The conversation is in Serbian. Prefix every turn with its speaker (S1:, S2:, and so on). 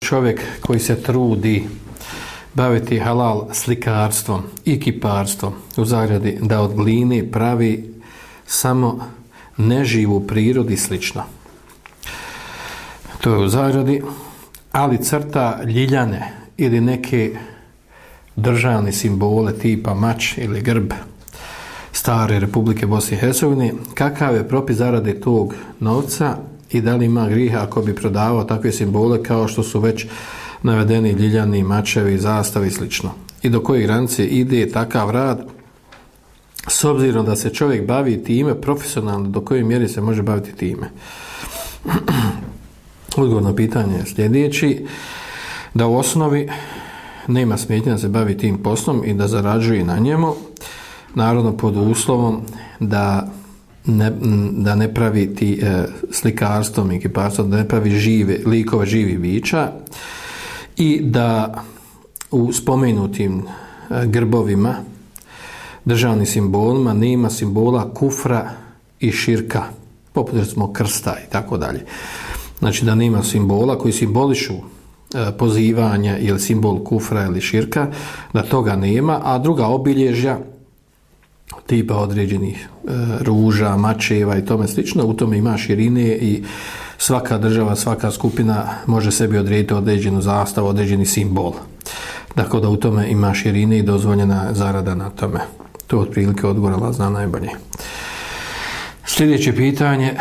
S1: čovjek koji se trudi baviti halal slikarstvom i kiparstvom u zagradi da od gline pravi samo neživu prirodu i slično. To je u zagradi, ali crta ljiljane ili neke državne simbole tipa mač ili grb stare Republike Bosne i Hercegovine, kakav je propis zarade tog novca i da li ima griha ako bi prodavao takve simbole kao što su već navedeni ljiljani, mačevi, zastavi i slično. I do koje granice ide takav rad, s obzirom da se čovjek bavi time profesionalno, do koje mjere se može baviti time. Odgovor na pitanje je sljedeći, da u osnovi nema smetnje da se bavi tim poslom i da zarađuje na njemu, naravno pod uslovom da ne pravi ti slikarstvom i kiparstvom, da ne pravi likove živih bića i da u spomenutim grbovima, državnim simbolima, nema simbola kufra i širka, poput recimo krsta i tako dalje. Znači da nema simbola koji simbolišu pozivanja ili simbol kufra ili širka, da toga nema, a druga obilježja tipa određenih ruža, mačeva i tome slično, u tome ima širine i svaka država, svaka skupina može sebi odrediti određenu zastavu, određeni simbol. Dakle, da u tome ima širine i dozvoljena zarada na tome. To je otprilike odgovor, Allah zna najbolje. Sljedeće pitanje,